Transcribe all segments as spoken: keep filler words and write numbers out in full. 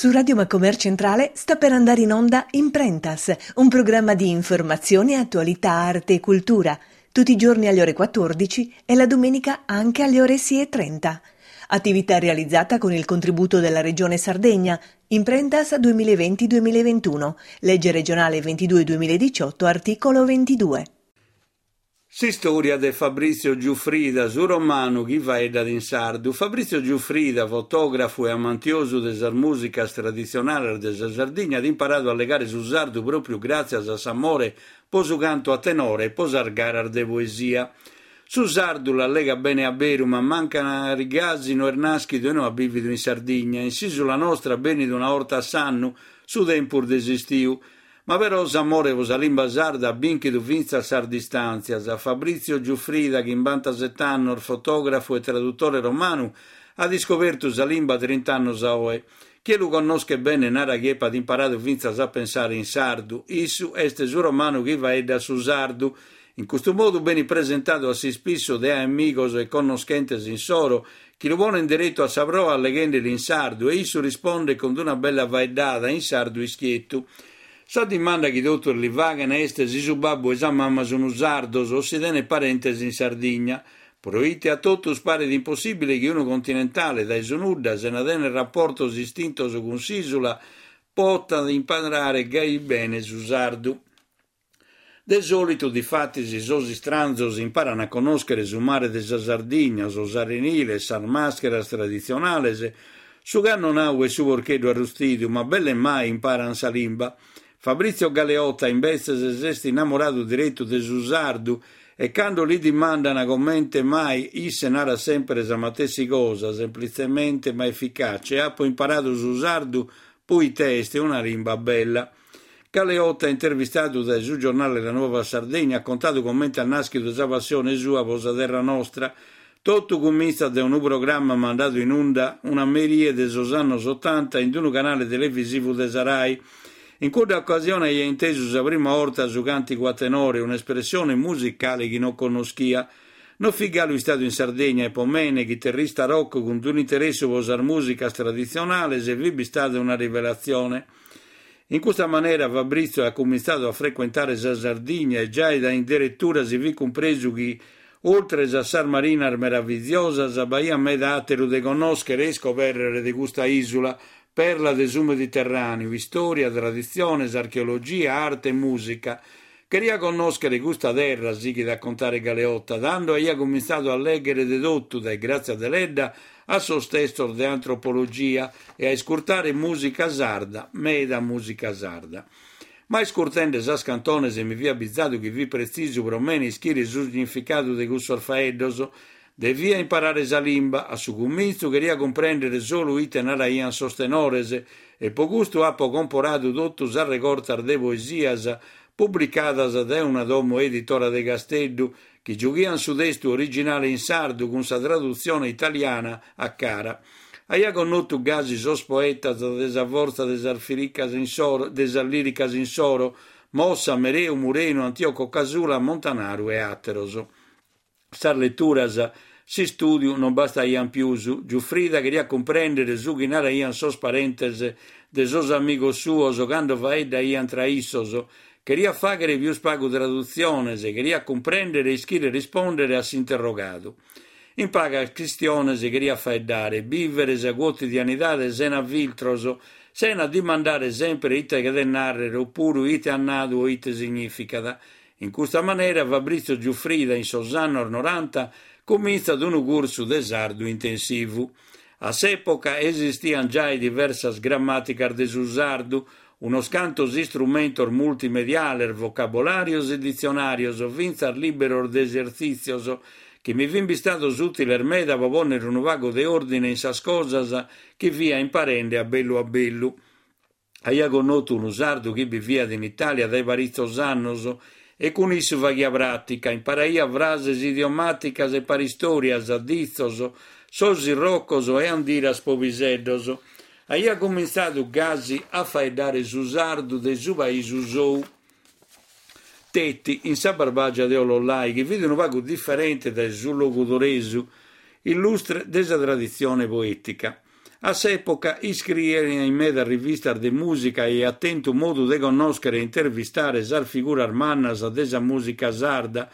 Su Radio Macomer Centrale sta per andare in onda Imprentas, un programma di informazione, attualità, arte e cultura, tutti i giorni alle ore quattordici e la domenica anche alle ore sei e trenta. Attività realizzata con il contributo della Regione Sardegna, Imprentas duemilaventi duemilaventuno, legge regionale ventidue duemiladiciotto, articolo ventidue. S'istòria de Fabrizio Giuffrida, su romanu chi faeddat in sardu. Fabrizio Giuffrida, fotògrafu e amantiosu de sas mùsicas traditzionales de sa Sardigna, at imparadu a allegare su sardu pròpiu gràtzias a s'amore pro su cantu a tenore e pro sas garas de poesia. Su sardu l'allegat bene a beru, ma mancari gasi no est nàschidu e no at bìvidu in Sardigna. In s'ìsula nostra benit una 'orta a s'annu, su tempus de s'istiu. Ma però s'amore pro sa limba sarda at bìnchidu fintzas sas distàntzias. Fabrizio Giuffrida, chimbantasete annos, fotògrafu e tradutore romanu, at iscobertu sa limba trint'annos a oe. Chie lu connoschet bene narat chi epat imparadu fintzas a pensare in sardu. Issu est su romanu chi faeddat su sardu. In custu modu benit presentadu a s'ispissu de amigos e connoschentes insoro chi lu ponent deretu a sa proa alleghendeli in sardu e issu rispondet cun una bella faeddada in sardu ischietu. Sa dimanda chi totus li faghen est si su babbu e sa mama sun sardos o si tenet parentes in Sardigna. Proite a totus paret impossìbile chi unu continentale dae su nudda, sena tener rapportos istintos cun s'ìsula, potat imparare gai bene su sardu. De sòlitu, difatis, sos istranzos imparan a connòschere su mare de sa Sardigna, sos areniles, sas màscheras traditzionales, su cannonau e su porcheddu arrustidu, ma belle mai imparan sa limba. Fabrizio Galeotta, imbetzes, s'est innamoradu diretu de su sardu e cando li dimandana comente mai, isse narat sempre sa matessi cosa, semplitzemente ma efficace: apo imparadu su sardu poite est una limba bella. Galeotta, intervistadu dae su giornale La Nuova Sardegna, at contadu comente at nàschidu sa passione sua pro sa terra nostra. Totu cumintzat dae unu programma mandadu in unda una merie de sos annos otanta in unu canale televisivu de sa Rai. In cudda occasione aia intesu sa prima 'orta su càntigu a tenore, un'espressione musicale chi non connoschia. No fit galu istadu in Sardegna e po mene, chiterrista rock cun un'interessu pro sas mùsicas traditzionales, fit bistada una rivelatzione. In custa manera Fabrizio at cumintzadu a frecuentare sa Sardigna e giai dae in deretura si fit cumpresu chi, oltres a sas marinas meraviziosas, b'aiat meda àteru de connòschere e iscobèrrere de custa ìsula, perla de su Mediterràneu, istòria, traditziones, archeologia, arte e mùsica. Cheria connòschere custa terra, sighit a contare Galeotta, tando aia cumintzadu a lèghere de totu, dae Grazia Deledda a sos testos de antropologia, e a iscurtare mùsica sarda, meda mùsica sarda. Ma iscurtende sas cantones mi fia abizadu chi fit pretzisu pro mene ischire su significadu de cussos faeddos. Devia imparare sa limba, a su cumintzu cheria cumprèndere solu ite naraiant sos tenores e pro custu apo comporadu totu sas regortas de poesias publicadas dae una domo editora de Casteddu chi giughiant su testu originale in sardu cun sa tradutzione italiana a cara. Aia connotu gasi sos poetas de sa fortza de sas firicas insoro, de sas lìricas insoro, Mossa, Mereu, Murenu, Antioco Casula, Montanaru e àteros. Sas leturas, s'istùdiu non bastaiant pius. Giuffrida cheriat cumprèndere su chi naraiant sos parentes de sos amigos suos cando faeddaiant tra issos. Cheriat fàghere pius pagu tradutziones, cheriat cumprèndere e ischire rispòndere a s'interrogadu. In pagas chistiones cheriat faeddare, bìvere sa quotidianidade sena filtros, sena dimandare sempre ite cheret nàrrere opuru ite at nadu o ite signìficat. In custa manera Fabrizio Giuffrida in sos annos noranta cumintzat unu cursu de sardu intensivu. A s'època esistiant giai diversas grammàticas de su sardu, unos cantos istrumentos multimediales, vocabolàrios e ditzionàrios, fintzas lìberos de esertzìtzios, chi mi fin bistados ùtiles meda pro pònnere unu pagu de òrdine in sas cosas chi fia imparende a bellu a bellu. Aia connotu unu sardu chi biviat in Itàlia dae paritzos annos e cun issu faghia pràtica, imparaia frases idiomàticas e paristòrias, ditzos, sos irrocos e andiras pro piseddos. Aia cumintzadu gasi a faeddare su sardu de su paisu sou. Teti, in sa Barbàgia de Ollollai, chi fit unu pagu diferente dae su logudoresu, illustre de sa traditzione poètica. A s'època iscriiat in medas rivistas de mùsica e aiat tentu modu de connòschere e intervistare sas figuras mannas de sa mùsica sarda,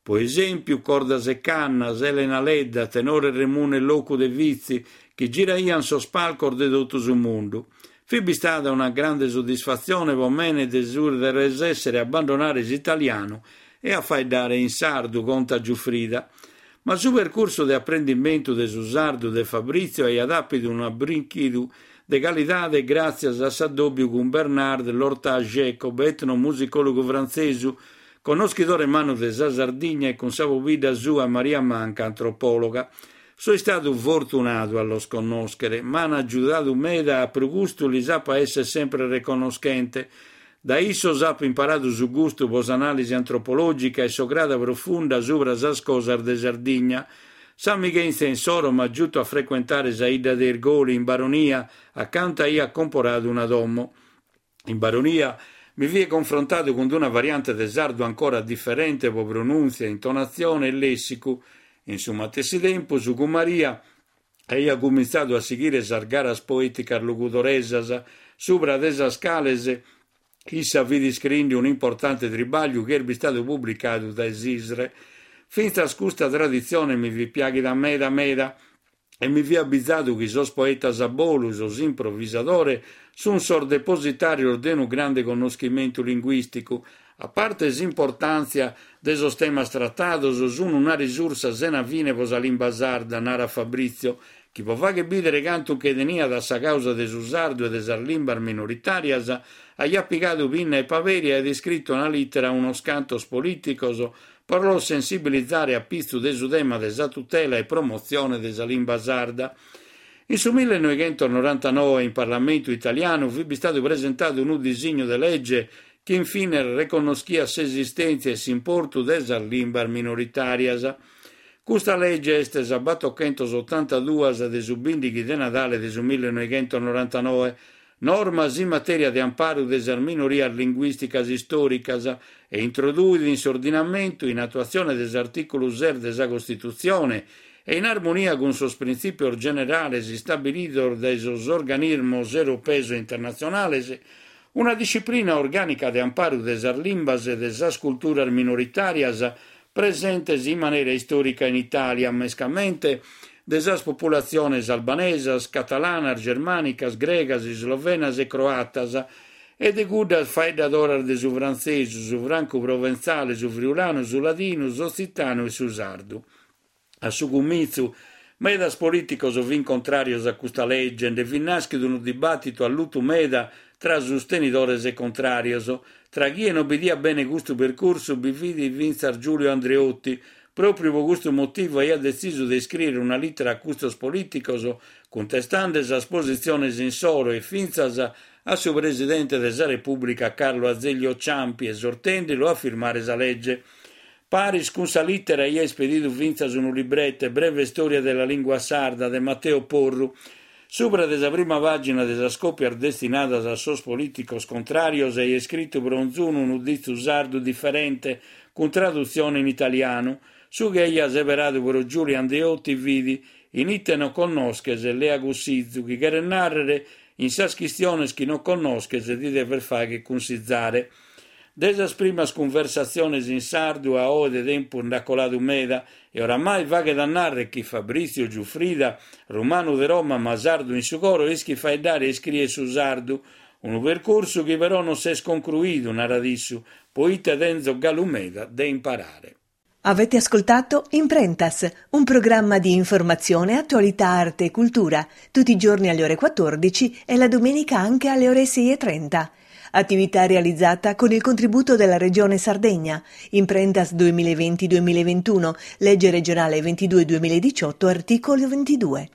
pro esèmpiu Cordas e Cannas, Elena Ledda, tenore Remunne Locu de Vitzi, chi giraiant sos palcos de totu su mundu. Fit bistada una grande soddisfatzione pro mene de su de resèssere a abbandonare s'italianu e a faeddare in sardu, contat Giuffrida. Ma su percursu de aprendimentu de su sardu de Fabrizio aiat àpidu unu abrìnchidu de calidade gràtzias a s'addòbiu cun Bernard Lortat-Jacob, etnomusicòlogu frantzesu, connoschidore mannu de sa Sardigna e cun sa pobidda sua Maria Manca, antropòloga. So istadu fortunadu a los connòschere, m'an agiudadu meda e pro custu lis apo a èssere semper reconnoschente. Dae issos apo imparadu su gustu pro s'anàlisi antropològica e s'ograda profunda subra sas cosas de Sardigna. S'amighèntzia insoro m'at giutu a frecuentare sa 'idda de Irgoli, in Baronia, acanta aia comporadu una domo. In Baronia mi fia confrontadu cun una variante de sardu ancora diferente pro pronùntzia, intonatzione e lèssicu. In su matessi tempus, cun Maria aia cumintzadu a sighire sas garas poèticas logudoresas, subra de sas cales issa fit iscriende un'importante tribàgliu chi est bistadu publicadu dae s'ISRE. Fintzas custa traditzione mi fit piàghida meda meda e mi fia abizadu chi sos poetas a bolu, sos improvisadores, sunt sos depositàrios de unu grande connoschimentu linguìsticu. A parte s'importàntzia de sos temas tratados, sunt una risursa sena fine pro sa limba sarda, narat Fabrizio, chi pro fàghere bìdere cantu nche teniat a sa càusa de su sardu e de sas limbas minoritàrias, aiat pigadu pinna e paperi e aiat iscritu una lìtera a unos cantos polìticos pro los sensibilizare a pitzu de su tema de sa tutela e promotzione de sa limba sarda. In su millenoighentos-norantanoe in Parlamentu italianu fit bistadu presentadu unu disignu de lege chi infine reconnoschiat s'esistèntzia e s'importu de sas limbas minoritàrias. Custa lege est sa batochentos-otantaduas de su bìndighi de Nadale de su millenoighentos-norantanoe, normas in matèria de amparu de sas minorias linguìsticas istòricas e introduit in s'ordinamentu, in atuatzione de s'artìculu ses de sa Costitutzione e in armonia cun sos printzìpios generales istabilidos dae sos organismos europeos e internatzionales, una disciplina orgànica de amparu de sas limbas e de sas culturas minoritàrias presentes in manera istòrica in Itàlia, mescamente de sas populatziones albanesas, catalanas, germànicas, gregas, islovenas e croatas, e de cuddas faeddadoras de su frantzesu, su francu-proventzale, su friulanu, su ladinu, s'otzitanu e su sardu. A su cumintzu, medas polìticos fin contràrios a custa lege, nde fit nàschidu unu dibàtitu allutu meda tra sustenidores e contràrios. Tra chie non bidiat bene custu percursu bi fit fintzas Giulio Andreotti. Pròpiu pro custu motivu aiat detzisu de iscrìere una lìtera a custos polìticos cuntestende sas positziones insoro e fintzas a su presidente de sa Repùblica Carlo Azeglio Ciampi, esortende-lu a firmare sa lege. Paris cun sa lìtera aiat ispedidu fintzas unu librete, Breve storia della lingua sarda, de Matteo Porru. Subra de sa prima pàgina de sas còpias destinadas a sos polìticos contràrios aiat iscritu pro onzunu unu ditzu sardu diferente, cun tradutzione in italianu. Su chi aiat seberadu pro Giulio Andreotti fit in ite non connosches lea cussizu, chi cheret nàrrere in sas chistiones chi non connosches ti deves fàghere cunsizare. De sas primas cunversatziones in sardu a oe de tempus nd'at coladu meda e oramai faghet a nàrrere chi Fabrizio Giuffrida, romanu de Roma ma sardu in su coro, ischit faeddare e iscriere su sardu. Unu percursu chi però non s'est concruidu, narat issu, poite tenzo galu meda de imparare. Avete ascoltato Imprentas, un programma di informazione, attualità, arte e cultura, tutti i giorni alle ore quattordici e la domenica anche alle ore sei e trenta. Attività realizzata con il contributo della Regione Sardegna. Imprentas duemilaventi duemilaventuno, legge regionale ventidue duemiladiciotto, articolo ventidue.